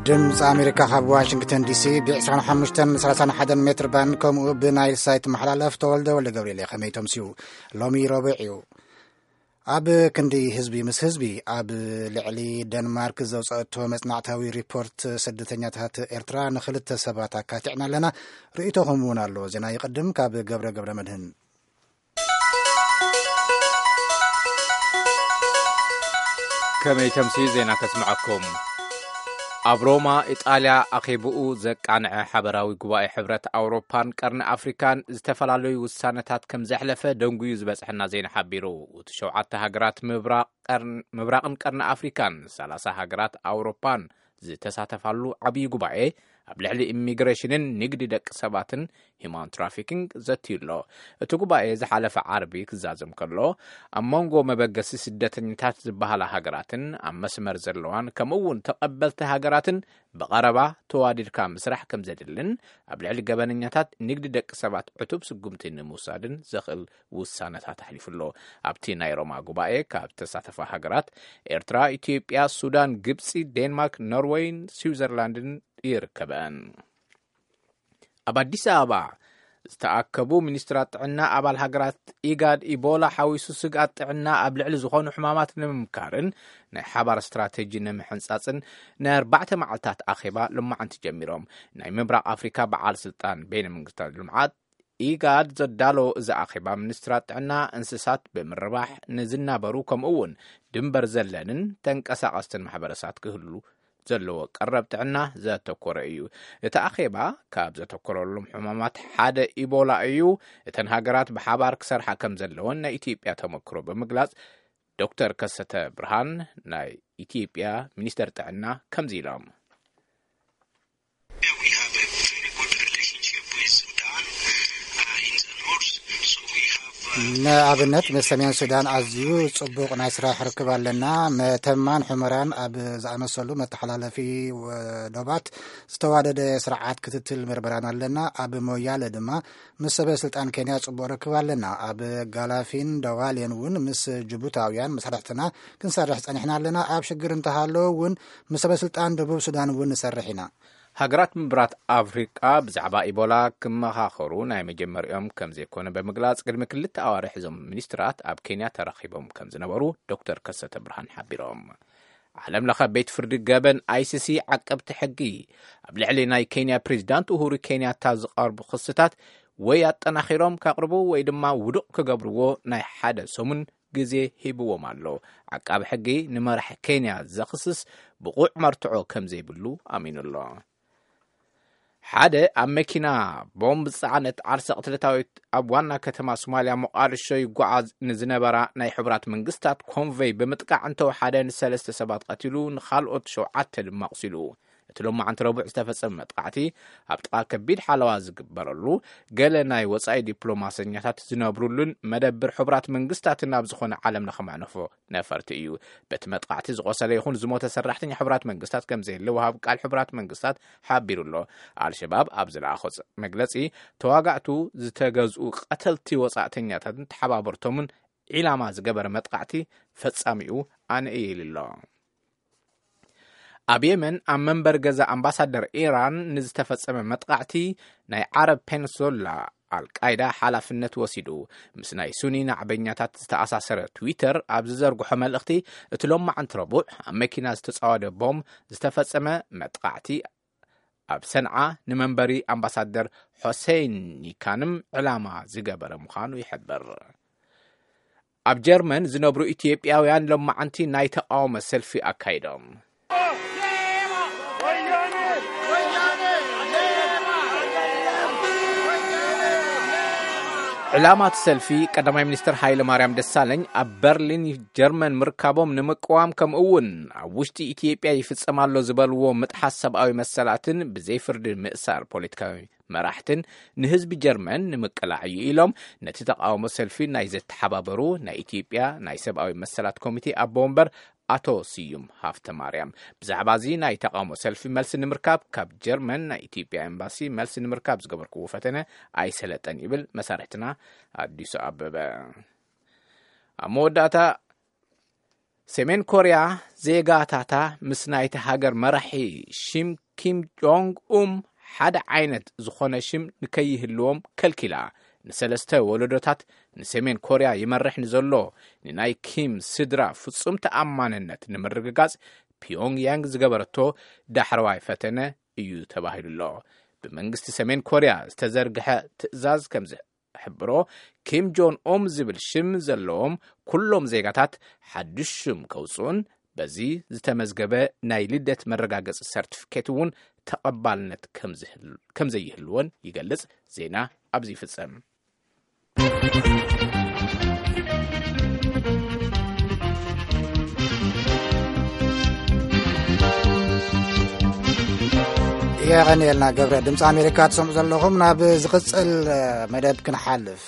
ድምፂ ኣሜሪካ ካብ ዋሽንግተን ዲሲ ብ ዕስራን ሓሙሽተን ሰላሳን ሓደን ሜትር ባንድ ከምኡ ብናይል ሳይት መሓላለፍ። ተወልደ ወልደ ገብርኤል እየ። ከመይ ተምስዩ? ሎሚ ረቡዕ እዩ። ኣብ ክንዲ ህዝቢ ምስ ህዝቢ ኣብ ልዕሊ ደንማርክ ዘውፀአቶ መፅናዕታዊ ሪፖርት ስደተኛታት ኤርትራ ንክልተ ሰባት ኣካቲዕና ኣለና። ርእይቶኹም እውን ኣሎ። ዜና ይቕድም ካብ ገብረ ገብረ መድህን። ከመይ ተምሲ ዜና ከስምዐኩም። ኣብ ሮማ ኢጣልያ ኣኼብኡ ዘቃንዐ ሓበራዊ ጉባኤ ሕብረት ኣውሮፓን ቀርኒ ኣፍሪካን ዝተፈላለዩ ውሳነታት ከም ዘሕለፈ ደንጉዩ ዝበጽሐና ዜና ሓቢሩ። እቲ ሸውዓተ ሃገራት ምብራቕ ቀርን-፣ ምብራቕን ቀርኒ ኣፍሪካን ሰላሳ ሃገራት ኣውሮፓን ዝተሳተፋሉ ዓብዪ ጉባኤ ኣብ ልዕሊ ኢሚግሬሽንን ንግዲ ደቂ ሰባትን ሂማን ትራፊኪንግ ዘትዩ ኣሎ። እቲ ጉባኤ ዝሓለፈ ዓርቢ ክዛዘም ከሎ ኣብ መንጎ መበገሲ ስደተኛታት ዝበሃላ ሃገራትን ኣብ መስመር ዘለዋን ከምኡ እውን ተቐበልቲ ሃገራትን ብቐረባ ተዋዲድካ ምስራሕ ከም ዘድልን ኣብ ልዕሊ ገበነኛታት ንግዲ ደቂ ሰባት ዕቱብ ስጉምቲ ንምውሳድን ዘኽእል ውሳነታት ኣሕሊፉ ኣሎ። ኣብቲ ናይ ሮማ ጉባኤ ካብ ዝተሳተፋ ሃገራት ኤርትራ፣ ኢትዮጵያ፣ ሱዳን፣ ግብፂ፣ ዴንማርክ፣ ኖርወይን ስዊዘርላንድን ይርከበን። ኣብ ኣዲስ ኣበባ ዝተኣከቡ ሚኒስትራት ጥዕና ኣባል ሃገራት ኢጋድ ኢቦላ ሓዊሱ ስግኣት ጥዕና ኣብ ልዕሊ ዝኾኑ ሕማማት ንምምካርን ናይ ሓባር ስትራቴጂ ንምሕንጻጽን ናይ ኣርባዕተ መዓልታት ኣኼባ ሎማዓንቲ ጀሚሮም። ናይ ምብራቕ ኣፍሪካ በዓል ስልጣን በይነ መንግስታት ልምዓት ኢጋድ ዘዳሎ እዚ ኣኼባ ሚኒስትራት ጥዕና እንስሳት ብምርባሕ ንዝናበሩ ከምኡ እውን ድንበር ዘለንን ተንቀሳቐስትን ማሕበረሰባት ክህሉ ዘለዎ ቀረብ ጥዕና ዘተኮረ እዩ። እቲ ኣኼባ ካብ ዘተኮረሎም ሕማማት ሓደ ኢቦላ እዩ። እተን ሃገራት ብሓባር ክሰርሓ ከም ዘለወን ናይ ኢትዮጵያ ተመክሮ ብምግላጽ ዶክተር ከሰተ ብርሃን ናይ ኢትዮጵያ ሚኒስተር ጥዕና ከምዚ ኢሎም። We have a very good relationship with Sudan, uh, in the north. So we have, uh, ንኣብነት ምስ ሰሜን ሱዳን ኣዝዩ ጽቡቕ ናይ ስራሕ ርክብ ኣለና። መተማን ሑመራን ኣብ ዝኣመሰሉ መተሓላለፊ ወደባት ዝተዋደደ ስርዓት ክትትል ምርመራን ኣለና። ኣብ ሞያለ ድማ ምስ ሰበ ስልጣን ኬንያ ጽቡቕ ርክብ ኣለና። ኣብ ጋላፊን ደዋሌን እውን ምስ ጅቡታውያን መሳርሕትና ክንሰርሕ ጸኒሕና ኣለና። ኣብ ሽግር እንተሃለወ እውን ምስ ሰበ ስልጣን ደቡብ ሱዳን እውን ንሰርሕ ኢና። ሃገራት ምብራት ኣፍሪቃ ብዛዕባ ኢቦላ ክመኻኸሩ ናይ መጀመሪኦም ከም ዘይኮነ ብምግላጽ፣ ቅድሚ ክልተ ኣዋርሕ እዞም ሚኒስትራት ኣብ ኬንያ ተራኺቦም ከም ዝነበሩ ዶክተር ከሰተ ብርሃን ሓቢሮም። ዓለም ለኸ ቤት ፍርዲ ገበን፣ ኣይሲሲ፣ ዓቀብቲ ሕጊ ኣብ ልዕሊ ናይ ኬንያ ፕሬዚዳንት ኡሁሩ ኬንያታ ዝቐርቡ ክስታት ወይ ኣጠናኺሮም ከቕርቡ ወይ ድማ ውዱቕ ክገብርዎ ናይ ሓደ ሰሙን ግዜ ሂብዎም ኣሎ። ዓቃቢ ሕጊ ንመራሒ ኬንያ ዘኽስስ ብቑዕ መርትዖ ከም ዘይብሉ ኣሚኑ ኣሎ። ሓደ ኣብ መኪና ቦምብ ዝጸዓነት ዓርሰ ቅትለታዊት ኣብ ዋና ከተማ ሶማልያ ሞቃዲሾ ይጓዓዝ ንዝነበራ ናይ ሕቡራት መንግስታት ኮንቨይ ብምጥቃዕ እንተወሓደ ንሰለስተ ሰባት ቀቲሉ፣ ንኻልኦት ሸውዓተ ድማ ኣቑሲሉ። እቲ ሎማዓንቲ ረቡዕ ዝተፈጸመ መጥቃዕቲ ኣብ ጥቓ ከቢድ ሓለዋ ዝግበረሉ፣ ገለ ናይ ወጻኢ ዲፕሎማሰኛታት ዝነብሩሉን መደብር ሕቡራት መንግስታትን ኣብ ዝኾነ ዓለም ለኸ መዕነፎ ነፈርቲ እዩ። በቲ መጥቃዕቲ ዝቖሰለ ይኹን ዝሞተ ሰራሕተኛ ሕቡራት መንግስታት ከም ዘየለ ወሃቢ ቃል ሕቡራት መንግስታት ሓቢሩ ኣሎ። ኣልሸባብ ኣብ ዝለኣኾ ጽ-፣ መግለጺ፣ ተዋጋእቱ ዝተገዝኡ ቀተልቲ ወጻእተኛታትን ተሓባበርቶምን ዒላማ ዝገበረ መጥቃዕቲ ፈጻሚኡ ኣነ እየ ኢሉ ኣሎ። ኣብ የመን ኣብ መንበሪ ገዛ ኣምባሳደር ኢራን ንዝተፈጸመ መጥቃዕቲ ናይ ዓረብ ፔንሶላ ኣልቃይዳ ሓላፍነት ወሲዱ። ምስ ናይ ሱኒ ናዕበኛታት ዝተኣሳሰረ ትዊተር ኣብ ዝዘርግሖ መልእኽቲ፣ እቲ ሎማዓንቲ ረቡዕ ኣብ መኪና ዝተጻወደ ቦምብ ዝተፈጸመ መጥቃዕቲ ኣብ ሰንዓ ንመንበሪ ኣምባሳደር ሖሴይን ኒካንም ዕላማ ዝገበረ ምዃኑ ይሕብር። ኣብ ጀርመን ዝነብሩ ኢትዮጵያውያን ሎማዓንቲ ናይ ተቃውሞ ሰልፊ ኣካይዶም። ዕላማ እቲ ሰልፊ ቀዳማይ ሚኒስትር ሃይለ ማርያም ደሳለኝ ኣብ በርሊን ጀርመን ምርካቦም ንምቅዋም፣ ከምኡ እውን ኣብ ውሽጢ ኢትዮጵያ ይፍጸም ኣሎ ዝበልዎ ምጥሓስ ሰብኣዊ መሰላትን ብዘይ ፍርዲ ምእሳር ፖለቲካዊ መራሕትን ንህዝቢ ጀርመን ንምቅላዕ እዩ ኢሎም ነቲ ተቃውሞ ሰልፊ ናይ ዘተሓባበሩ ናይ ኢትዮጵያ ናይ ሰብኣዊ መሰላት ኮሚቴ ኣቦ ወንበር ኣቶ ስዩም ሃፍተ ማርያም። ብዛዕባ እዚ ናይ ተቃውሞ ሰልፊ መልሲ ንምርካብ ካብ ጀርመን ናይ ኢትዮጵያ ኤምባሲ መልሲ ንምርካብ ዝገበርክዎ ፈተነ ኣይሰለጠን ይብል መሳርሕትና ኣዲሱ ኣበበ። ኣብ መወዳእታ ሰሜን ኮርያ ዜጋታታ ምስ ናይቲ ሃገር መራሒ ሽም ኪም ጆንግ ኡም ሓደ ዓይነት ዝኾነ ሽም ንከይህልዎም ከልኪላ። ንሰለስተ ወለዶታት ንሰሜን ኮርያ ይመርሕ ንዘሎ ንናይ ኪም ስድራ ፍጹም ተኣማንነት ንምርግጋጽ ፒዮንግ ያንግ ዝገበረቶ ዳሕረዋይ ፈተነ እዩ ተባሂሉ ኣሎ። ብመንግስቲ ሰሜን ኮርያ ዝተዘርግሐ ትእዛዝ ከም ዝሕብሮ፣ ኪም ጆን ኦም ዝብል ሽም ዘለዎም ኩሎም ዜጋታት ሓድሽ ሽም ከውፅኡን በዚ ዝተመዝገበ ናይ ልደት መረጋገፂ ሰርቲፊኬት እውን ተቐባልነት ከም ዝህል- ከም ዘይህልዎን ይገልጽ። ዜና ኣብዚ ይፍጸም። የቐንየልና ገብረ። ድምፂ ኣሜሪካ ትሰምዑ ዘለኹም። ናብ ዝቕፅል መደብ ክንሓልፍ።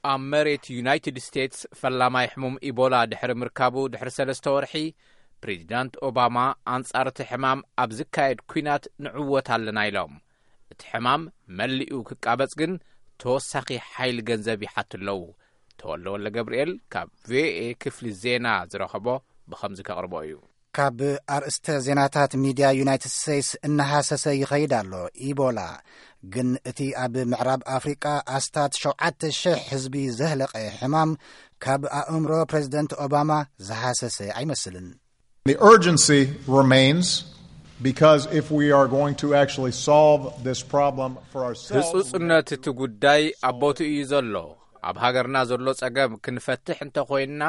ኣብ መሬት ዩናይትድ ስቴትስ ፈላማይ ሕሙም ኢቦላ ድሕሪ ምርካቡ ድሕሪ ሰለስተ ወርሒ፣ ፕሬዚዳንት ኦባማ ኣንጻር እቲ ሕማም ኣብ ዝካየድ ኲናት ንዕወት ኣለና ኢሎም። እቲ ሕማም መሊኡ ክቃበጽ ግን ተወሳኺ ሓይሊ ገንዘብ ይሓቱ ኣለዉ። ተወልደ ወልደ ገብርኤል ካብ ቪኦኤ ክፍሊ ዜና ዝረኸቦ ብኸምዚ ከቕርቦ እዩ። ካብ ኣርእስተ ዜናታት ሚድያ ዩናይትድ ስቴትስ እናሃሰሰ ይኸይድ ኣሎ። ኢቦላ ግን እቲ ኣብ ምዕራብ ኣፍሪቃ ኣስታት ሸውዓተ ሽሕ ህዝቢ ዘህለቐ ሕማም ካብ ኣእምሮ ፕሬዚደንት ኦባማ ዝሃሰሰ ኣይመስልን። The urgency remains because if we are going to actually solve this problem for ourselves, we have ህጹጽነት እቲ ጉዳይ ኣብ ቦትኡ እዩ ዘሎ። ኣብ ሃገርና ዘሎ ጸገም ክንፈትሕ እንተኾይንና፣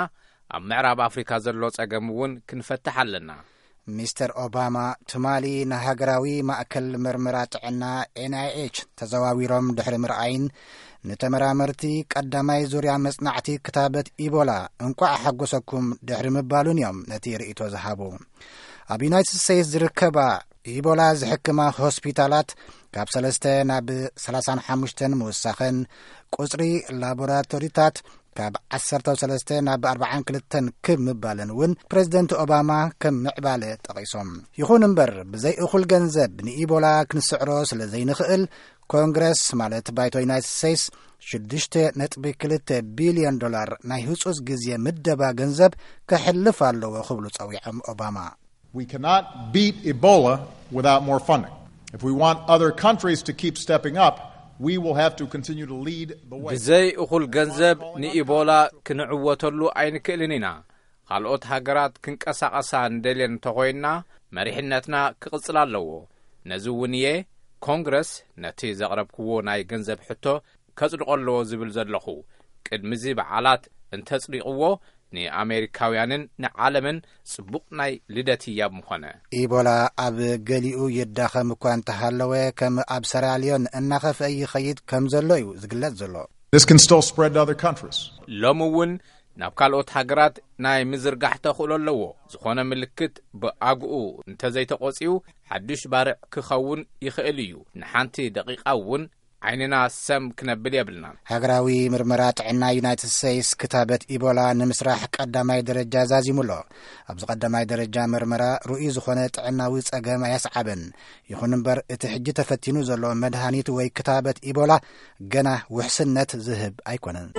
ኣብ ምዕራብ ኣፍሪካ ዘሎ ጸገም እውን ክንፈትሕ ኣለና። ሚስተር ኦባማ ትማሊ ንሃገራዊ ማእከል ምርመራ ጥዕና ኤንኣይኤች ተዘዋዊሮም ድሕሪ ምርኣይን፣ ንተመራመርቲ ቀዳማይ ዙርያ መጽናዕቲ ክታበት ኢቦላ እንቋዕ ሓጎሰኩም ድሕሪ ምባሉን እዮም ነቲ ርእይቶ ዝሃቡ። ኣብ ዩናይትድ ስቴትስ ዝርከባ ኢቦላ ዝሕክማ ሆስፒታላት ካብ ሰለስተ ናብ ሰላሳን ሓሙሽተን ምውሳኸን፣ ቁጽሪ ላቦራቶሪታት ካብ ዓሰርተ ሰለስተ ናብ ኣርባዓን ክልተን ክብ ምባልን እውን ፕሬዚደንት ኦባማ ከም ምዕባለ ጠቒሶም። ይኹን እምበር፣ ብዘይ እኹል ገንዘብ ንኢቦላ ክንስዕሮ ስለ ዘይንኽእል፣ ኮንግረስ ማለት ባይቶ ዩናይትድ ስቴትስ ሽዱሽተ ነጥቢ ክልተ ቢልዮን ዶላር ናይ ህጹጽ ግዜ ምደባ ገንዘብ ከሕልፍ ኣለዎ ክብሉ ጸዊዖም ኦባማ። We cannot beat Ebola without more funding. If we want other countries to keep stepping up, we will have to continue to lead the way. ብዘይ እኹል ገንዘብ ንኢቦላ ክንዕወተሉ ኣይንክእልን ኢና። ካልኦት ሃገራት ክንቀሳቐሳ እንደልየን እንተኾይንና፣ መሪሕነትና ክቕጽል ኣለዎ። ነዚ እውን እየ ኮንግረስ ነቲ ዘቕረብክዎ ናይ ገንዘብ ሕቶ ከጽድቆ ኣለዎ ዝብል ዘለኹ። ቅድሚዚ በዓላት እንተጽዲቕዎ፣ ንኣሜሪካውያንን ንዓለምን ጽቡቕ ናይ ልደት ህያብ ምኾነ። ኢቦላ ኣብ ገሊኡ ይዳኸም እኳ እንተሃለወ፣ ከም ኣብ ሰራልዮን እናኸፍአ ይኸይድ ከም ዘሎ እዩ ዝግለጽ ዘሎ። This can still spread to other countries. ሎም እውን ናብ ካልኦት ሃገራት ናይ ምዝርጋሕ ተኽእሎ ኣለዎ። ዝኾነ ምልክት ብኣግኡ እንተዘይተቖጺኡ፣ ሓድሽ ባርዕ ክኸውን ይኽእል እዩ። ንሓንቲ ደቂቓ እውን ዓይንና ሰም ክነብል የብልናን። ሃገራዊ ምርመራ ጥዕና ዩናይትድ ስቴትስ ክታበት ኢቦላ ንምስራሕ ቀዳማይ ደረጃ ዛዚሙ ኣሎ። ኣብዚ ቀዳማይ ደረጃ ምርመራ ርኡይ ዝኾነ ጥዕናዊ ጸገም ኣየስዓበን። ይኹን እምበር፣ እቲ ሕጂ ተፈቲኑ ዘሎ መድሃኒት ወይ ክታበት ኢቦላ ገና ውሕስነት ዝህብ ኣይኮነን።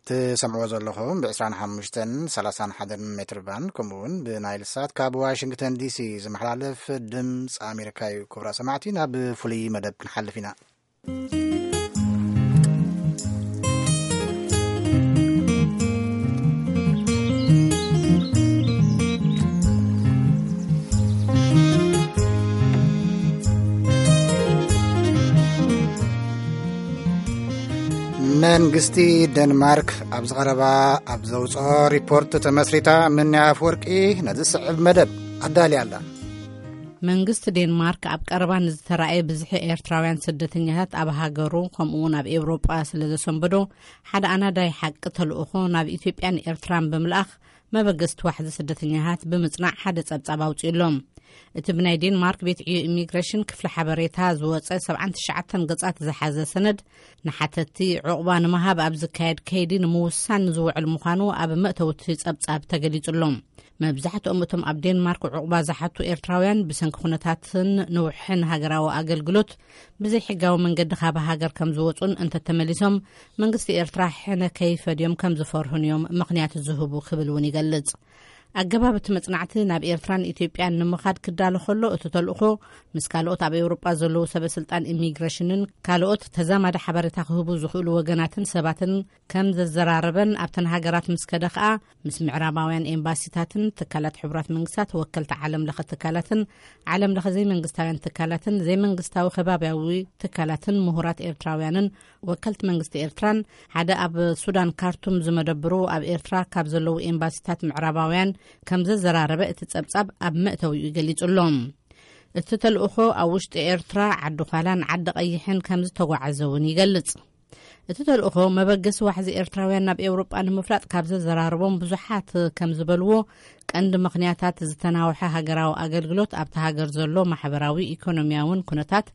ትሰምዕዎ ዘለኹም ብ ዕስራን ሓሙሽተን ሰላሳን ሓደን ሜትር ባንድ፣ ከምኡ እውን ብናይል ሳት ካብ ዋሽንግተን ዲሲ ዝመሓላለፍ ድምፂ ኣሜሪካ እዩ። ክቡራት ሰማዕቲ፣ ናብ ፍሉይ መደብ ክንሓልፍ ኢና። መንግስቲ ደንማርክ ኣብዚ ቀረባ ኣብ ዘውፅኦ ሪፖርት ተመስሪታ፣ ምንያ ኣፍወርቂ ነዚ ዝስዕብ መደብ ኣዳልያ ኣላ። መንግስቲ ዴንማርክ ኣብ ቀረባ ንዝተራእየ ብዝሒ ኤርትራውያን ስደተኛታት ኣብ ሃገሩ፣ ከምኡ እውን ኣብ ኤውሮጳ ስለ ዘሰንበዶ፣ ሓደ ኣናዳይ ሓቂ ተልእኾ ናብ ኢትዮጵያን ኤርትራን ብምልኣኽ፣ መበገስቲ ዋሕዚ ስደተኛታት ብምጽናዕ ሓደ ጸብጻብ ኣውጺኡ ኣሎ። እቲ ብናይ ዴንማርክ ቤት ዕዮ ኢሚግሬሽን ክፍሊ ሓበሬታ ዝወጸ ሰብዓን ትሽዓተን ገጻት ዝሓዘ ሰነድ፣ ንሓተትቲ ዕቑባ ንምሃብ ኣብ ዝካየድ ከይዲ ንምውሳን ዝውዕል ምዃኑ ኣብ መእተዊ እቲ ጸብጻብ ተገሊጹ ኣሎ። መብዛሕትኦም እቶም ኣብ ዴንማርክ ዕቑባ ዝሓቱ ኤርትራውያን ብሰንኪ ኩነታትን ንውሕን ሃገራዊ ኣገልግሎት ብዘይሕጋዊ መንገዲ ካብ ሃገር ከም ዝወጹን እንተተመሊሶም መንግስቲ ኤርትራ ሕነ ከይፈድዮም ከም ዝፈርሁን እዮም ምኽንያት ዝህቡ ክብል እውን ይገልጽ። ኣገባብ እቲ መጽናዕቲ ናብ ኤርትራን ኢትዮጵያን ንምኻድ ክዳሎ ከሎ እቲ ተልእኾ ምስ ካልኦት ኣብ ኤውሮጳ ዘለዉ ሰበ ስልጣን ኢሚግሬሽንን ካልኦት ተዛማዲ ሓበሬታ ክህቡ ዝኽእሉ ወገናትን ሰባትን ከም ዘዘራረበን ኣብተን ሃገራት ምስ ከደ ከኣ ምስ ምዕራባውያን ኤምባሲታትን ትካላት ሕቡራት መንግስታት ወከልቲ ዓለም ለኸ ትካላትን ዓለም ለኸ ዘይመንግስታውያን ትካላትን ዘይመንግስታዊ ከባቢያዊ ትካላትን ምሁራት ኤርትራውያንን ወከልቲ መንግስቲ ኤርትራን ሓደ ኣብ ሱዳን ካርቱም ዝመደብሩ ኣብ ኤርትራ ካብ ዘለዉ ኤምባሲታት ምዕራባውያን ከም ዘዘራረበ እቲ ጸብጻብ ኣብ መእተዊኡ ገሊጹ ኣሎ። እቲ ተልእኾ ኣብ ውሽጢ ኤርትራ ዓዲ ዃላን ዓዲ ቀይሕን ከም ዝተጓዓዘ እውን ይገልጽ። እቲ ተልእኾ መበገሲ ዋሕዚ ኤርትራውያን ናብ ኤውሮጳ ንምፍላጥ ካብ ዘዘራረቦም ብዙሓት ከም ዝበልዎ ቀንዲ ምኽንያታት ዝተናውሐ ሃገራዊ ኣገልግሎት ኣብቲ ሃገር ዘሎ ማሕበራዊ ኢኮኖሚያውን ኩነታት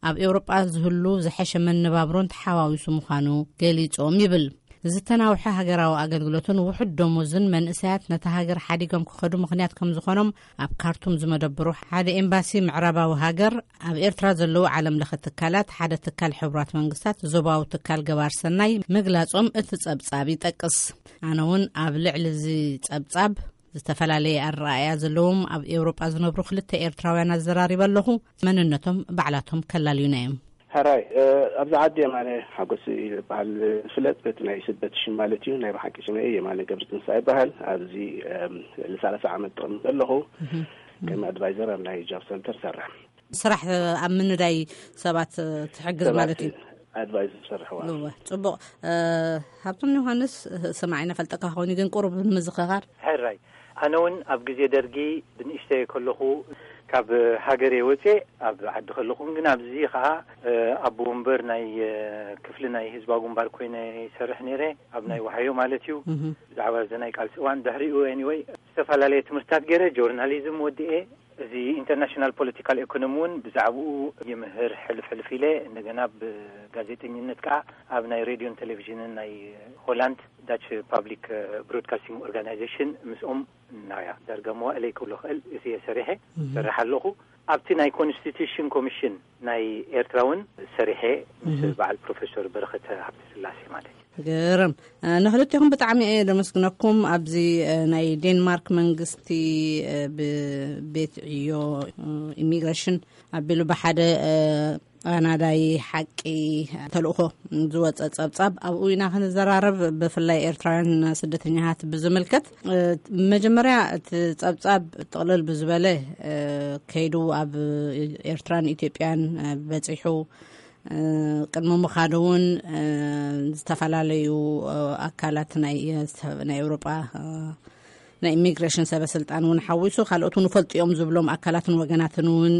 ኣብ ኤውሮጳ ዝህሉ ዝሐሸ መነባብሮን ተሓዋዊሱ ምዃኑ ገሊጾም ይብል። ዝተናውሐ ሃገራዊ ኣገልግሎትን ውሑድ ደሞዝን መንእሰያት ነታ ሃገር ሓዲጎም ክኸዱ ምኽንያት ከም ዝኾኖም ኣብ ካርቱም ዝመደብሩ ሓደ ኤምባሲ ምዕራባዊ ሃገር ኣብ ኤርትራ ዘለዉ ዓለም ለኸ ትካላት ሓደ ትካል ሕቡራት መንግስታት ዞባዊ ትካል ገባር ሰናይ ምግላጾም እቲ ጸብጻብ ይጠቅስ። ኣነ እውን ኣብ ልዕሊ እዚ ጸብጻብ ዝተፈላለየ ኣረኣእያ ዘለዎም ኣብ ኤውሮጳ ዝነብሩ ክልተ ኤርትራውያን ኣዘራሪበ ኣለኹ። መንነቶም ባዕላቶም ከላልዩና እዮም። ሕራይ ኣብዚ ዓዲ የማነ ሓጎስ ዝበሃል ዝፍለጥ በቲ ናይ ስደት ሽም ማለት እዩ። ናይ ብሓቂ ሽመ የማነ ገብረ ትንሳ ይበሃል። ኣብዚ ልሳለሳ ዓመት ጥቕሚ ዘለኹ ከም ኣድቫይዘር ኣብ ናይ ጃብ ሰንተር ሰርሕ። ስራሕ ኣብ ምንዳይ ሰባት ትሕግዝ ማለት እዩ። ኣድቫይዘር ሰርሕዋ። እወ፣ ጽቡቕ። ሃብቶም ዮሃንስ፣ ስማዕ፣ ይነፈልጠካ ኾኒ ግን ቁሩብ ንምዝኸኻር። ሕራይ ኣነ እውን ኣብ ግዜ ደርጊ ብንእሽተይ ከለኹ ካብ ሃገር ወፅኤ ኣብ ዓዲ ከለኹን ግን ኣብዚ ከዓ ኣቦ ወንበር ናይ ክፍሊ ናይ ህዝባዊ ግንባር ኮይነ ይሰርሕ ነይረ፣ ኣብ ናይ ዋሃዮ ማለት እዩ። ብዛዕባ እዚ ናይ ቃልሲ እዋን ድሕሪኡ ኤኒወይ ዝተፈላለየ ትምህርትታት ገይረ ጆርናሊዝም ወድኤ። እዚ ኢንተርናሽናል ፖለቲካል ኢኮኖሚ እውን ብዛዕባኡ ይምህር ሕልፍ ሕልፍ ኢለ። እንደገና ብጋዜጠኝነት ከዓ ኣብ ናይ ሬድዮን ቴሌቪዥንን ናይ ሆላንድ ዳች ፓብሊክ ብሮድካስቲንግ ኦርጋናይዜሽን ምስኦም ናያ ዳርጋ መዋእለይ ክብሎ ክእል እዚ እየ ሰሪሐ። ሰርሕ ኣለኹ። ኣብቲ ናይ ኮንስቲቱሽን ኮሚሽን ናይ ኤርትራ እውን ሰሪሐ ምስ በዓል ፕሮፌሰር በረኸት ሃብተ ስላሴ ማለት እዩ። ግርም። ንክልቴኹም ብጣዕሚ እየ ደመስግነኩም። ኣብዚ ናይ ዴንማርክ መንግስቲ ብቤት ዕዮ ኢሚግሬሽን ኣቢሉ ብሓደ ኣናዳይ ሓቂ ተልእኾ ዝወፀ ጸብጻብ ኣብኡ ኢና ክንዘራረብ። ብፍላይ ኤርትራውያን ስደተኛታት ብዝምልከት መጀመርያ እቲ ጸብጻብ ጥቕልል ብዝበለ ከይዱ ኣብ ኤርትራን ኢትዮጵያን በጺሑ ቅድሚ ምኻዱ እውን ዝተፈላለዩ ኣካላት ናይ ናይ ኤውሮጳ ናይ ኢሚግሬሽን ሰበ ስልጣን እውን ሓዊሱ ካልኦት እውን ፈልጡ እዮም ዝብሎም ኣካላትን ወገናትን እውን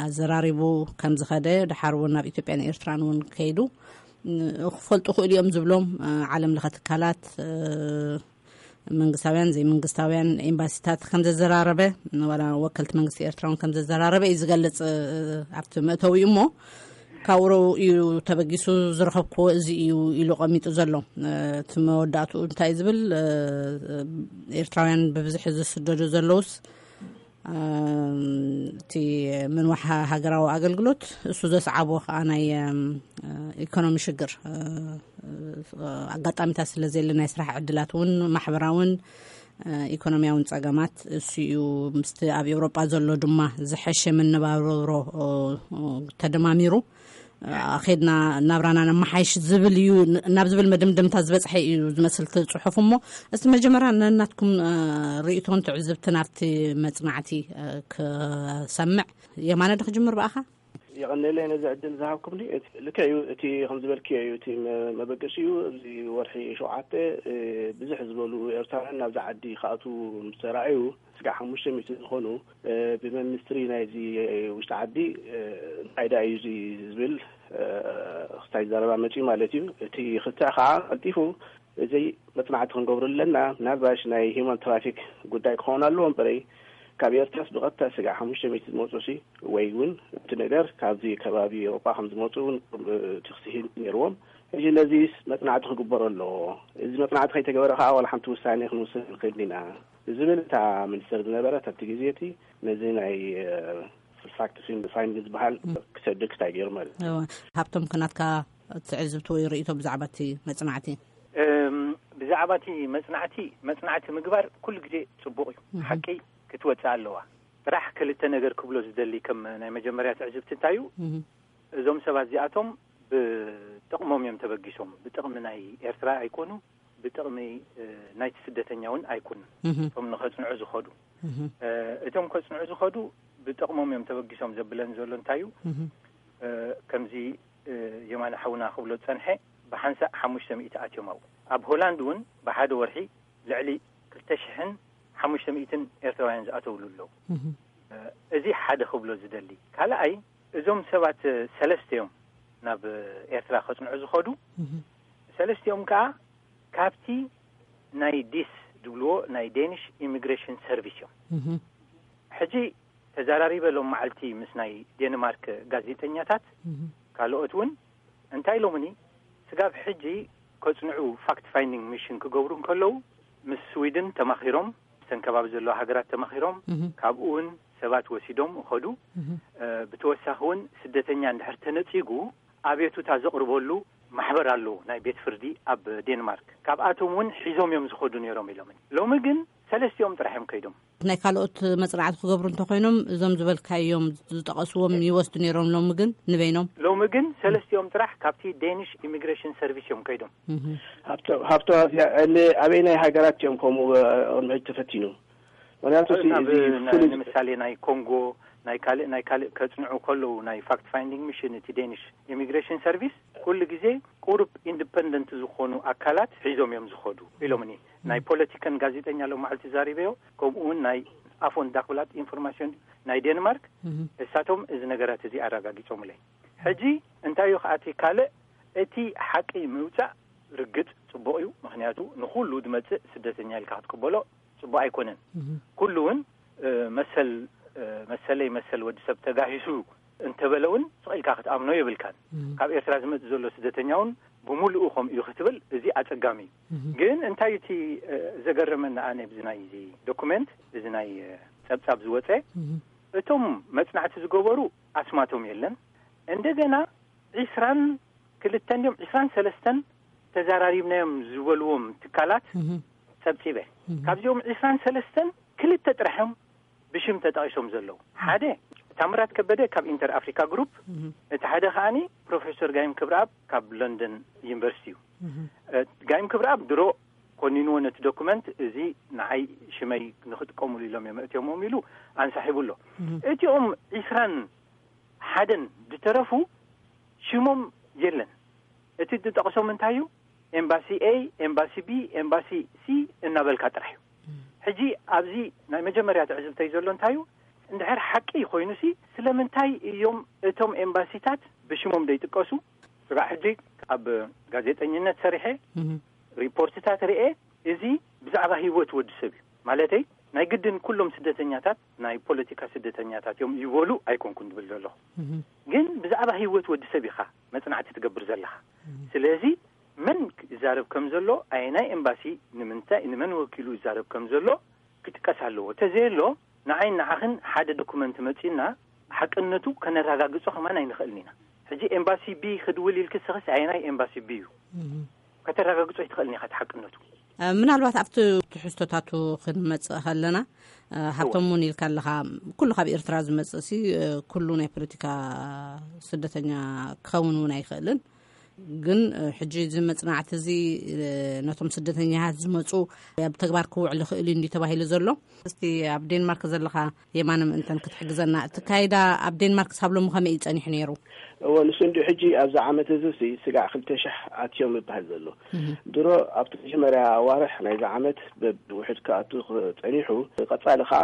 ኣዘራሪቡ ከም ዝኸደ፣ ድሓር እውን ናብ ኢትዮጵያን ኤርትራን እውን ከይዱ ክፈልጡ ክእሉ እዮም ዝብሎም ዓለም ለኸ ትካላት፣ መንግስታውያን ዘይመንግስታውያን ኤምባሲታት ከም ዘዘራረበ፣ ዋላ ወከልቲ መንግስቲ ኤርትራ እውን ከም ዘዘራረበ እዩ ዝገልጽ ኣብቲ መእተዊ እሞ ካብኡ እዩ ተበጊሱ ዝረኸብክዎ እዚ እዩ ኢሉ ቀሚጡ ዘሎ። እቲ መወዳእትኡ እንታይ ዝብል፣ ኤርትራውያን ብብዝሒ ዝስደዱ ዘለውስ እቲ ምንዋሕ ሃገራዊ ኣገልግሎት እሱ ዘስዓቦ ከዓ ናይ ኢኮኖሚ ሽግር፣ ኣጋጣሚታት ስለ ዘየለ ናይ ስራሕ ዕድላት እውን ማሕበራውን ኢኮኖሚያውን ጸገማት እሱ እዩ። ምስቲ ኣብ ኤውሮጳ ዘሎ ድማ ዝሐሸ መነባብሮ ተደማሚሩ ኣኼድና ናብራና ነመሓይሽ ዝብል እዩ ናብ ዝብል መደምደምታ ዝበፅሐ እዩ ዝመስል እቲ ፅሑፍ። እሞ እስቲ መጀመርያ ነናትኩም ርእይቶን ትዕዝብትን ኣብቲ መፅናዕቲ ክሰምዕ። የማነ ዶ ክጅምር ብኣኻ? የቐንየለይ ነዚ ዕድል ዝሃብኩምኒ። ልክዕ እዩ፣ እቲ ከም ዝበልክዮ እዩ፣ እቲ መበገሲኡ ኣብዚ ወርሒ ሸውዓተ ብዙሕ ዝበሉ ኤርትራውያን ናብዚ ዓዲ ክኣትዉ ምስ ተራእዩ ስጋዕ ሓሙሽተ ሚእቲ ዝኾኑ ብመንስትሪ ናይዚ ውሽጢ ዓዲ እንታይ ደኣ እዩ እዚ ዝብል ክስታይ ዘረባ መፅዩ ማለት እዩ። እቲ ክትዕ ከዓ ቀልጢፉ እዚ መፅናዕቲ ክንገብሩ ኣለና። ምናልባሽ ናይ ሂማን ትራፊክ ጉዳይ ክኸውን ኣለዎ እምበረይ ካብ ኤርትራስ ብቐጥታ ስጋዕ ሓሙሽተ ሚእቲ ዝመፁ ሲ ወይ እውን እቲ ነገር ካብዚ ከባቢ ኤውሮጳ ከም ዝመፁ እውን እቲ ክስሂን ነይርዎም። ሕጂ ነዚስ መጽናዕቲ ክግበሮ ኣለዎ። እዚ መጽናዕቲ ከይተገበረ ከዓ ዋላ ሓንቲ ውሳኔ ክንውስን ንኽእል ኢና ዝብል እታ ሚኒስተር ዝነበረት ኣብቲ ግዜ እቲ ነዚ ናይ ፋክት ፋይንድ ዝበሃል ክሰድግ ክታይ ገይሩ ማለት እዩ። ሃብቶም፣ ክናትካ ትዕዝብቲ ወይ ርእይቶ ብዛዕባ እቲ መጽናዕቲ? እም፣ ብዛዕባ እቲ መጽናዕቲ መጽናዕቲ ምግባር ኩሉ ግዜ ጽቡቕ እዩ። ሓቂ ክትወጽእ ኣለዋ። ጥራሕ ክልተ ነገር ክብሎ ዝደሊ ከም ናይ መጀመርያ ትዕዝብቲ እንታይ እዩ? እዞም ሰባት እዚኣቶም ብጥቕሞም እዮም ተበጊሶም። ብጥቕሚ ናይ ኤርትራ ኣይኮኑ፣ ብጥቕሚ ናይቲ ስደተኛ እውን ኣይኮኑን። እቶም ንኸጽንዑ ዝኸዱ እቶም ከጽንዑ ዝኸዱ ብጥቕሞም እዮም ተበጊሶም ዘብለን ዘሎ እንታይ እዩ? ከምዚ የማነ ሓውና ክብሎ ዝጸንሐ፣ ብሓንሳእ ሓሙሽተ ሚእቲ ኣትዮም ኣብኡ። ኣብ ሆላንድ እውን ብሓደ ወርሒ ልዕሊ ክልተ ሽሕን ሓሙሽተ ሚእትን ኤርትራውያን ዝኣተውሉ ኣለዉ። እዚ ሓደ ክብሎ ዝደሊ። ካልኣይ፣ እዞም ሰባት ሰለስተ እዮም ናብ ኤርትራ ከጽንዑ ዝኸዱ። ሰለስቲኦም ከኣ ካብቲ ናይ ዲስ ዝብልዎ ናይ ዴኒሽ ኢሚግሬሽን ሰርቪስ እዮም። ሕጂ ተዘራሪበ ሎም መዓልቲ ምስ ናይ ዴንማርክ ጋዜጠኛታት ካልኦት እውን እንታይ ኢሎምኒ፣ ስጋብ ሕጂ ከጽንዑ ፋክት ፋይንዲንግ ሚሽን ክገብሩ እንከለዉ ምስ ስዊድን ተማኺሮም፣ ምስተን ከባቢ ዘለዋ ሃገራት ተማኺሮም፣ ካብኡ እውን ሰባት ወሲዶም እኸዱ። ብተወሳኺ እውን ስደተኛ እንድሕር ተነጺጉ ኣቤቱታ ዘቕርበሉ ማሕበር ኣለዎ፣ ናይ ቤት ፍርዲ ኣብ ዴንማርክ። ካብኣቶም እውን ሒዞም እዮም ዝኸዱ ነይሮም ኢሎም። ሎሚ ግን ሰለስቲኦም ጥራሕ እዮም ከይዶም። ናይ ካልኦት መጽናዕቲ ክገብሩ እንተኮይኖም እዞም ዝበልካዮም ዝጠቐስዎም ይወስዱ ነይሮም። ሎሚ ግን ንበይኖም። ሎሚ ግን ሰለስቲኦም ጥራሕ ካብቲ ዴኒሽ ኢሚግሬሽን ሰርቪስ እዮም ከይዶም። ሃብቶ ሃብቶ ኣበይ ናይ ሃገራት እዮም ከምኡ ቅድሚ ሕጂ ተፈቲኑ? ምክንያቱ እቲ ናብ እዚ ናይ ፍሉይ ንምሳሌ ናይ ኮንጎ ናይ ካልእ ናይ ካልእ ከጽንዑ ከለዉ ናይ ፋክት ፋይንዲንግ ሚሽን እቲ ዴኒሽ ኢሚግሬሽን ሰርቪስ ኩሉ ግዜ ቁሩብ ኢንዲፐንደንት ዝኾኑ ኣካላት ሒዞም እዮም ዝኸዱ ኢሎምኒ። ናይ ፖለቲካን ጋዜጠኛ ሎም መዓልቲ ዛሪበዮ፣ ከምኡ እውን ናይ ኣፎን ዳክብላት ኢንፎርማሽን ናይ ዴንማርክ እሳቶም እዚ ነገራት እዚ ኣረጋጊጾምለይ። ሕጂ እንታይ እዩ ከኣቲ ካልእ እቲ ሓቂ ምውጻእ ርግጽ ጽቡቕ እዩ። ምክንያቱ ንኹሉ ዝመጽእ ስደተኛ ኢልካ ክትቅበሎ ጽቡቕ ኣይኮነን። ኩሉ እውን መሰል መሰለይ መሰል ወዲ ሰብ ተጋሂሱ እንተበለ እውን ስቕ ኢልካ ክትኣምኖ የብልካን። ካብ ኤርትራ ዝመጽእ ዘሎ ስደተኛ እውን ብምሉኡ ከምኡ እዩ ክትብል እዚ ኣጸጋሚ እዩ። ግን እንታይ እቲ ዘገረመኒ ኣነ ብዚ ናይ እዚ ዶኩመንት እዚ ናይ ጸብጻብ ዝወጸ እቶም መጽናዕቲ ዝገበሩ ኣስማቶም የለን። እንደገና ዒስራን ክልተን ድዮም ዒስራን ሰለስተን ተዘራሪብናዮም ዝበልዎም ትካላት ጸብጺበ። ካብዚኦም ዒስራን ሰለስተን ክልተ ጥራሕ እዮም ብሽም ተጠቒሶም ዘለዉ። ሓደ ታምራት ከበደ ካብ ኢንተር ኣፍሪካ ግሩፕ፣ እቲ ሓደ ከኣኒ ፕሮፌሰር ጋይም ክብረኣብ ካብ ለንደን ዩኒቨርሲቲ እዩ። ጋይም ክብረኣብ ድሮ ኮኒንዎ ነቲ ዶኩመንት እዚ ንዓይ ሽመይ ንክጥቀሙሉ ኢሎም እዮም እእትዮሞም ኢሉ ኣንሳሒቡ ኣሎ። እቲኦም ዒስራን ሓደን ዝተረፉ ሽሞም የለን። እቲ ዝጠቕሶም እንታይ እዩ? ኤምባሲ ኤ፣ ኤምባሲ ቢ፣ ኤምባሲ ሲ እናበልካ ጥራሕ እዩ። ሕጂ ኣብዚ ናይ መጀመርያ ትዕዝብተይ ዘሎ እንታይ እዩ? እንድሕር ሓቂ ኮይኑሲ ስለምንታይ እዮም እቶም ኤምባሲታት ብሽሞም ዘይጥቀሱ? ስጋዕ ሕጂ ኣብ ጋዜጠኝነት ሰሪሐ ሪፖርትታት ርኤ። እዚ ብዛዕባ ህይወት ወዲ ሰብ እዩ። ማለተይ ናይ ግድን ኩሎም ስደተኛታት ናይ ፖለቲካ ስደተኛታት እዮም ይበሉ ኣይኮንኩን ዝብል ዘለኹ። ግን ብዛዕባ ህይወት ወዲ ሰብ ኢኻ መጽናዕቲ ትገብር ዘለኻ። ስለዚ መን ይዛረብ ከም ዘሎ፣ ኣየናይ ኤምባሲ ንምንታይ ንመን ወኪሉ ይዛረብ ከም ዘሎ ክጥቀስ ኣለዎ። ተዘየሎ ንዓይ ንዓኽን ሓደ ዶኩመንት መጺና ሓቅነቱ ከነረጋግጾ ከማን ኣይንኽእልን ኢና። ሕጂ ኤምባሲ ቢ ክድውል ኢልክስኽስ ኣየናይ ኤምባሲ ቢ እዩ? ከተረጋግጾ ኣይትኽእልን ኢኻ እቲ ሓቅነቱ። ምናልባት ኣብቲ ትሕዝቶታቱ ክንመጽእ ከለና፣ ሃብቶም እውን ኢልካ ኣለኻ፣ ኩሉ ካብ ኤርትራ ዝመጽእ ሲ ኩሉ ናይ ፖለቲካ ስደተኛ ክኸውን እውን ኣይኽእልን። ግን ሕጂ እዚ መጽናዕቲ እዚ ነቶም ስደተኛታት ዝመጹ ኣብ ተግባር ክውዕል ይኽእል እዩ እንዲ ተባሂሉ ዘሎ። እስቲ ኣብ ዴንማርክ ዘለኻ የማነ ምእንተን ክትሕግዘና፣ እቲ ካይዳ ኣብ ዴንማርክ ሳብ ሎሚ ከመይ እዩ ጸኒሑ ነይሩ? እወ፣ ንሱ እንዲ ሕጂ ኣብዚ ዓመት እዚ ሲ ስጋዕ ክልተ ሽሕ ኣትዮም ይበሃል ዘሎ። ድሮ ኣብቲ መጀመርያ ኣዋርሕ ናይዚ ዓመት በብውሕድ ክኣቱ ጸኒሑ፣ ቀጻሊ ከኣ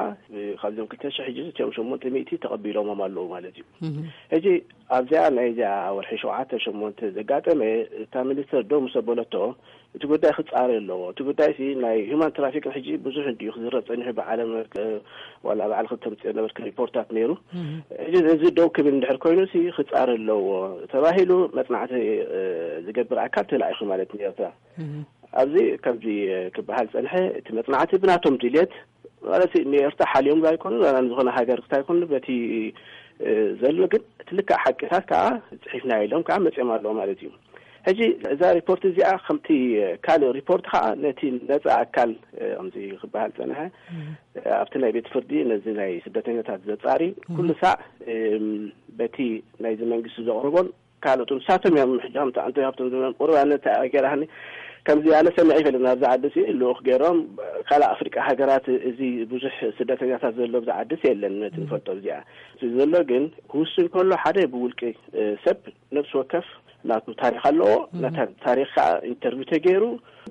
ካብዚኦም ክልተ ሽሕ ሕጂ እዚኦም ሸሞንተ ሚእቲ ተቐቢሎሞም ኣለዉ ማለት እዩ። ሕጂ ኣብዚኣ ናይዚኣ ወርሒ ሸውዓተ ሸሞንተ ዘጋጠመ እታ ሚኒስተር ደው ምስ ኣበለቶ እቲ ጉዳይ ክጻረ ኣለዎ። እቲ ጉዳይ ሲ ናይ ሂማን ትራፊክን ሕጂ ብዙሕ እንዲዩ ክዝረብ ጸኒሑ ብዓለም፣ እ፣ ዋላ ባዕልኺ ተምጽኦ ነበርኪ ሪፖርታት ነይሩ። ሕጂ እዚ ደው ክብል እንድሕር ኮይኑ ሲ ክጻረ ኣለዎ ተባሂሉ መጽናዕቲ፣ እ፣ ዝገብር ኣካል ተላኢኹ ማለት ንኤርትራ። ኣብዚ ከምዚ፣ እ፣ ክበሃል ጸንሐ። እቲ መጽናዕቲ ብናቶም ድልየት ማለት ንኤርትራ ሓልዮም ኣይኮኑ፣ ዋላ ንዝኾነ ሃገር ክታይ ኮኑ በቲ፣ እ፣ ዘሎ ግን እቲ ልክዕ ሓቅታት ከዓ ጽሒፍና ኢሎም ከዓ መጽኦም ኣለዎ ማለት እዩ። ሕጂ እዛ ሪፖርት እዚኣ ከምቲ ካልእ ሪፖርት ከዓ ነቲ ነፃ ኣካል፣ እ፣ ከምዚ ክበሃል ጸንሐ፣ ኣብቲ ናይ ቤት ፍርዲ ነዚ ናይ ስደተኛታት ዘጻሪ ኩሉ ሳዕ፣ እም፣ በቲ ናይዚ መንግስቲ ዘቕርቦን ካልኦት ንሳቶም እዮም። ሕጂ ከምቲ ኣንቶኒ ሃብቶም ዝብሎም ቁሩብ ኣነ እንታይ ገይራኒ ከምዚ ኣነ ሰሚዐ ይፈልጥ። ናብዚ ዓዲ ሲ ልኡኽ ገይሮም ካልእ ኣፍሪቃ ሃገራት እዚ ብዙሕ ስደተኛታት ዘሎ ኣብዚ ዓዲ ሲ የለን ነቲ ንፈልጦ እዚኣ። እቲ ዘሎ ግን ክውስን ከሎ ሓደ ብውልቂ፣ እ፣ ሰብ ነፍሲ ወከፍ ናቱ ታሪኽ ኣለዎ። ነታ ታሪኽ ከዓ ኢንተርቪው ተገይሩ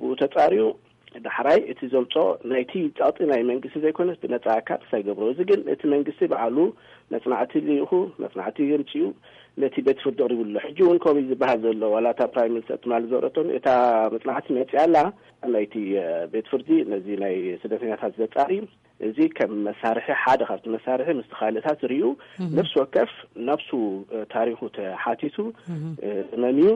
ብኡ ተጻርዩ ዳሕራይ እቲ ዘምጾ ናይቲ ጸቕጢ ናይ መንግስቲ ዘይኮነስ ብነጻ ኣካል ክሳይ ገብሮ። እዚ ግን እቲ መንግስቲ በዓሉ መጽናዕቲ ልኢኹ፣ መጽናዕቲ የምጽኡ፣ ነቲ ቤት ፍርዲ ኣቕሪቡ ኣሎ። ሕጂ እውን ከምኡ እዩ ዝበሃል ዘሎ። ዋላ እታ ፕራይም ሚኒስተር ትማሊ ዘውረቶን እታ መጽናዕቲ መጽያ ኣላ፣ ናይቲ፣ እ፣ ቤት ፍርዲ ነዚ ናይ ስደተኛታት ዘጻሪ እዚ ከም መሳርሒ፣ ሓደ ካብቲ መሳርሒ ምስቲ ካልእታት ርእዩ፣ ነፍሲ ወከፍ ናብሱ፣ እ፣ ታሪኹ ተሓቲቱ፣ እ፣ መምዩ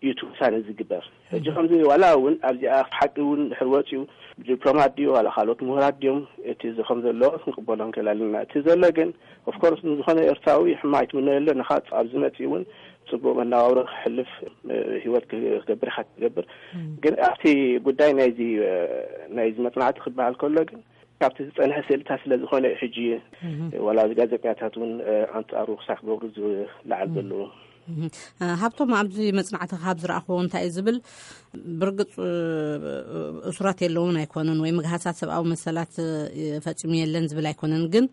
እዩ እቲ ውሳነ ዝግበር። ሕጂ ከምዚ ዋላ እውን ኣብዚኣ ሓቂ እውን ድሕር ወፂኡ ዲፕሎማት ድዩ ዋላ ካልኦት ምሁራት ድዮም እቲ እዚ ከም ዘሎ ክንቅበሎ ንክእል ኣለና። እቲ ዘሎ ግን ኦፍኮርስ ንዝኾነ ኤርትራዊ ሕማ ኣይትምነየሉ ኣለኻ። ኣብዚ መፂኡ እውን ፅቡቅ መነባብሮ ክሕልፍ፣ እ፣ ህይወት ክገብር ኢኻ ትገብር። ግን ኣብቲ ጉዳይ ናይዚ፣ እ፣ ናይዚ መፅናዕቲ ክበሃል ከሎ ግን ካብቲ ዝጸንሐ ስእልታት ስለ ዝኾነ እዩ ሕጂ ዋላ እዚ ጋዜጠኛታት እውን፣ እ፣ ኣንጻሩ ክሳዕ ክገብሩ ዝለዓል ዘለዉ። እህ፣ እ፣ ሃብቶም ኣብዚ መጽናዕቲ ካብ ዝረኣኽዎ እንታይ እዩ ዝብል፣ ብርግጽ፣ እ፣ እሱራት የለውን ኣይኮነን ወይ ምግሃሳት ሰብኣዊ መሰላት፣ እ፣ ፈጺሙ የለን ዝብል ኣይኮነን፣ ግን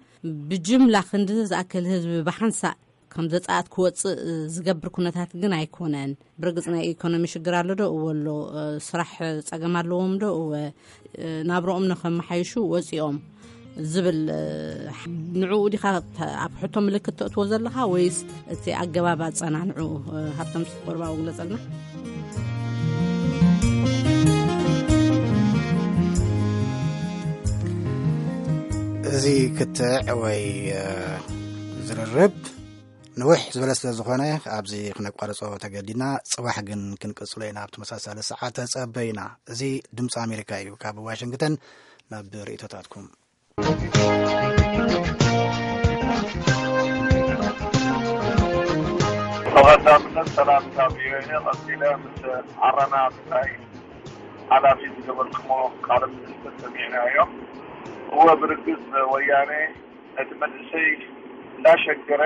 ብጅምላ ክንዲ ዝኣክል ህዝቢ ብሓንሳእ ከም ዘጻኣት ክወጽእ ዝገብር ኩነታት ግን ኣይኮነን። ብርግጽ ናይ ኢኮኖሚ ሽግር ኣሎ ዶ? እወ ኣሎ። እ፣ ስራሕ ጸገም ኣለዎም ዶ? እወ። እ፣ ናብርኦም ንኸመሓይሹ ወጺኦም ዝብል፣ እ፣ ንዕኡ ዲኻ ተ-፣ ኣብ ሕቶ ምልክት ተእትዎ ዘለኻ ወይስ እቲ ኣገባብ ኣጸናንዕኡ? እ፣ ሃብቶም እስኪ ቁርባ ግለጸልና። እዚ ክትዕ ወይ፣ እ፣ ዝርርብ ንውሕ ዝበለ ስለ ዝኾነ ኣብዚ ክነቋርጾ ተገዲድና። ጽባሕ ግን ክንቅጽሎ ኢና ኣብ ተመሳሳሊ ሰዓት ተጸበዩና። እዚ ድምጺ ኣሜሪካ እዩ። ካብ ዋሽንግተን ናብ ርእይቶታትኩም። ብቐዳምነት ሰላምታ ቪኦኤ፣ ቀጺለ ምስ ዓረና ብታይ ሓላፊ ዝገበርክሞ ቃለ ምልልስ ሰሚዕናዮ። እወ፣ ብርግጽ ወያነ ነቲ መንእሰይ እንዳሸገረ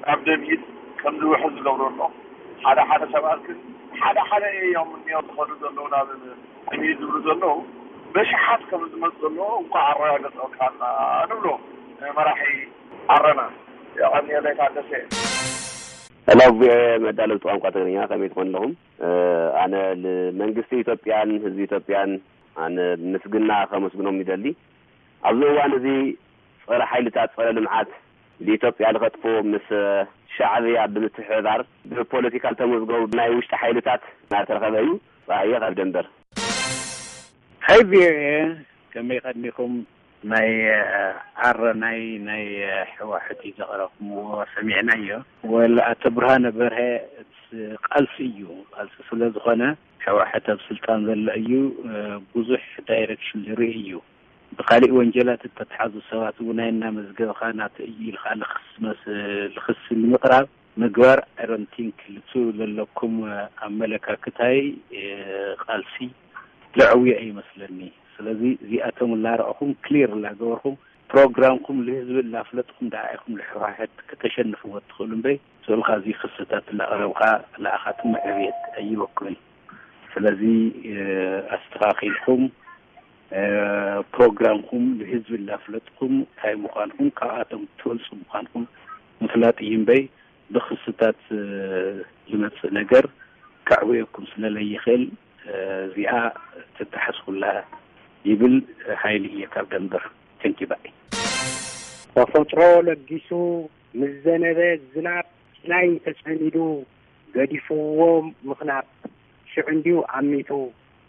ናብ ደም ኢድ ከም ዝውሕዝ ዝገብሮ ኣሎ። ሓደ ሓደ ሰባት ግን ሓደ ሓደ እዮም እኒኦ ዝኸዱ ዘለዉ ናብ ደም ኢድ ዝብሉ ዘለዉ በሽሓት ከም ዝመፁ ዘለዉ እንኳ ኣረጋገፅካና ንብሎ መራሒ ዓረና። የቐንየለይ ታደሰ። ሄሎ፣ ቪኦኤ መዳለብቲ ቋንቋ ትግርኛ፣ ከመይ ትኾኑ ኣለኹም? እ፣ ኣነ ንመንግስቲ ኢትዮጵያን ህዝቢ ኢትዮጵያን ኣነ ምስግና ከመስግኖም ይደሊ። ኣብዚ እዋን እዚ ጸረ ሓይልታት ጸረ ልምዓት ንኢትዮጵያ ንኸጥፍኡ ምስ ሻዕብያ ብምትሕብባር ብፖለቲካ ዝተመዝገቡ ናይ ውሽጢ ሓይልታት እናተረኸበ እዩ። ጸሃየ ካብ ደንበር። ሃይ ቪኦኤ፣ ከመይ ቀኒኹም? ናይ፣ እ፣ ዓረ ናይ፣ ናይ፣ እ፣ ሕዋሕት እዩ ዘቕረብኩምዎ ሰሚዕናዮ። ወል ኣቶ ብርሃነ በርሀ እቲ ቃልሲ እዩ። ቃልሲ ስለ ዝኾነ ሕዋሕት ኣብ ስልጣን ዘሎ እዩ፣ እ፣ ብዙሕ ዳይሬክሽን ዝርኢ እዩ። ብካሊእ ወንጀላት እተተሓዙ ሰባት እውን ናይ እናመዝገብኻ ናቱ እዩ ኢልካ ልኽሲ መስ-፣ ልኽሲ ንምቕራብ ምግባር፣ I don't think፣ ልቱ ለለኩም ኣመለካክታይ፣ እ፣ ቃልሲ ለዕውዮ ኣይመስለኒ። ስለዚ እዚኣቶም እናረኣኹም፣ ክሊር እናገበርኩም፣ ፕሮግራምኩም ልህዝቢ እናፍለጥኩም ደኣ ኢኹም ልሕዋሕት ከተሸንፍዎ እትኽእሉ እምበይ፣ ስእልካ እዚ ክስታት እናቕረብካ ለኣኻትም ዕብየት ኣይወክልን። ስለዚ፣ እ፣ ኣስተኻኺልኩም፣ እ፣ ፕሮግራምኩም ንህዝቢ እናፍለጥኩም እንታይ ምዃንኩም ካብኣቶም ትበልጹ ምዃንኩም ምፍላጥ እዩ እምበይ ብኽስታት፣ እ፣ ዝመጽእ ነገር ከዕውየኩም ስለ ለይኽእል፣ እ፣ እዚኣ ትተሓዝኩላ ይብል ሓይሊ እየ ካብ ደንበር። Thank you፣ ባይ። ተፈጥሮ ለጊሱ ምስ ዘነበ ዝናብ፣ ሲናይ ተጸሚዱ ገዲፍዎ ምኽናብ፣ ሽዑ እንድዩ ኣሚቱ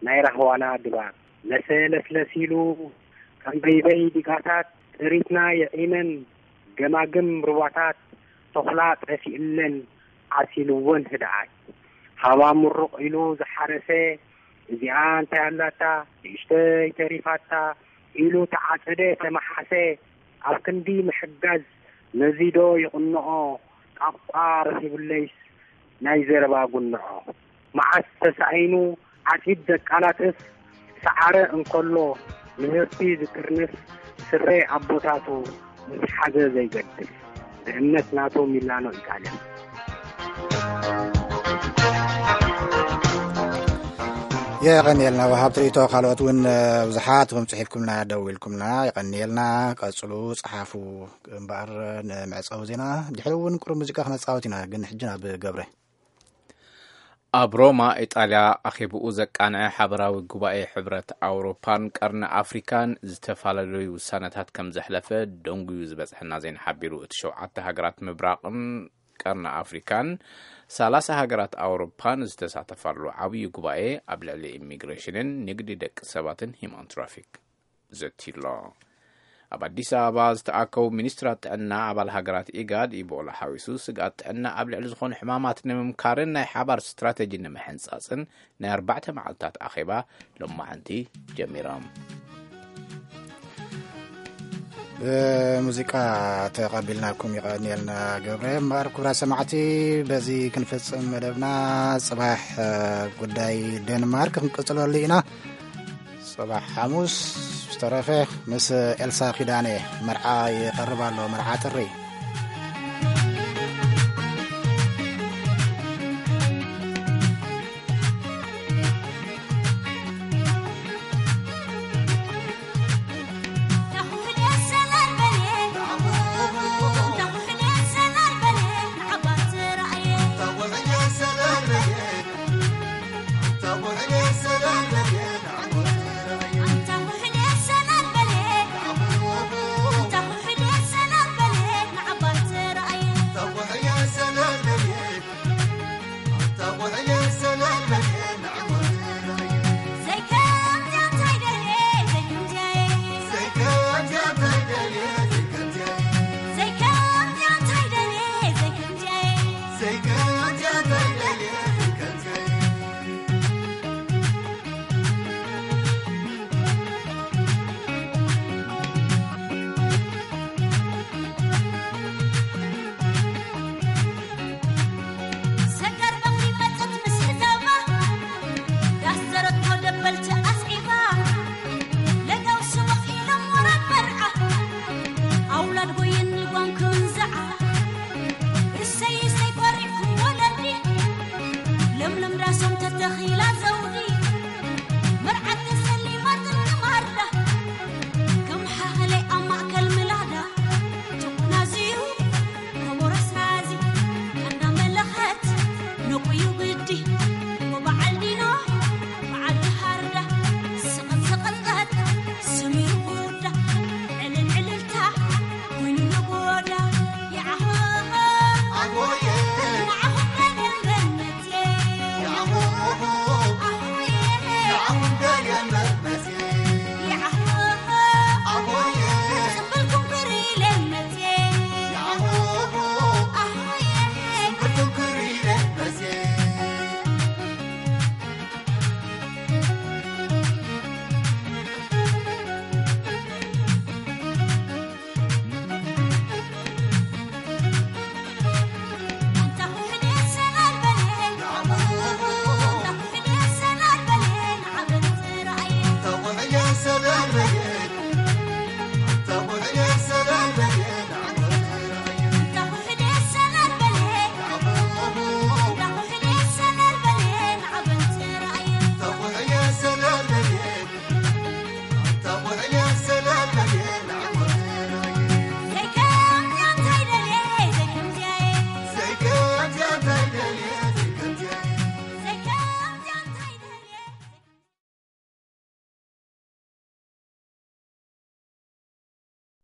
ናይ ራህዋና ድባብ። ለሰ ለስለስ ኢሉ ከም በይበይ ዲጋታት፣ ጥሪትና የዒመን ገማግም ሩባታት፣ ተኹላ ጠፊእለን ዓሲልወን ህድኣት። ሃባ ምሩቕ ኢሉ ዝሓረሰ፣ እዚኣ እንታይ ኣላታ ንእሽተይ ተሪፋታ ኢሉ ተዓጸደ ተመሓሰ። ኣብ ክንዲ ምሕጋዝ ነዚ ዶ ይቕንዖ፣ ጣቋ ረኺቡለይስ ናይ ዘረባ ጉንዖ። መዓስ ተሳኢኑ ዓጺድ ዘቃላጥፍ፣ ሰዓረ እንከሎ ምህርቲ ዝጥርንፍ፣ ስረ ኣቦታቱ ምስ ሓዘ ዘይገድፍ፣ ብእምነት ናቱ ሚላኖ ኢጣልያ። የቐንየልና ወሃብቲ ርእይቶ። ካልኦት እውን፣ እ፣ ብዙሓት ኢኹም ጽሒፍኩምና፣ ደዊልኩምና። የቐንየልና። ቀጽሉ፣ ጸሓፉ። እምበኣር፣ ንመዕጸዊ ዜና ድሕሪ እውን ቁሩብ ሙዚቃ ክነጻወት ኢና። ግን ሕጂ ናብ ገብረ። ኣብ ሮማ፣ ኢጣልያ ኣኼብኡ ዘቃንዐ ሓበራዊ ጉባኤ ሕብረት ኣውሮፓን ቀርኒ ኣፍሪካን ዝተፈላለዩ ውሳነታት ከም ዘሕለፈ ደንጉዩ ዝበጽሐና ዜና ሓቢሩ። እቲ ሸውዓተ ሃገራት ምብራቕን ቀርኒ ኣፍሪካን ሰላሳ ሃገራት ኣውሮፓን ዝተሳተፋሉ ዓብዪ ጉባኤ ኣብ ልዕሊ ኢሚግሬሽንን ንግዲ ደቂ ሰባትን ሂማን ትራፊክ ዘትዩሎ። ኣብ ኣዲስ ኣበባ ዝተኣከቡ ሚኒስትራት ጥዕና ኣባል ሃገራት ኢጋድ፣ ኢቦላ ሓዊሱ ስግኣት ጥዕና ኣብ ልዕሊ ዝኾኑ ሕማማት ንምምካርን ናይ ሓባር ስትራተጂ ንምሕንጻጽን ናይ ኣርባዕተ መዓልታት ኣኼባ ሎማዓንቲ ጀሚሮም። ብሙዚቃ ተቐቢልናኩም፣ ይቐንየልና ገብረ። እምበኣር ክቡራት ሰማዕቲ፣ በዚ ክንፍጽም መደብና። ጽባሕ፣ እ፣ ጉዳይ ዴንማርክ ክንቅጽለሉ ኢና። ጽባሕ ሓሙስ ዝተረፈ ምስ ኤልሳ ኪዳነ መርዓ ይቐርብ ኣሎ፣ መርዓ ጥሪ።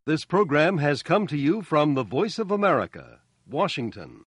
This program has come to you from the Voice of America, Washington.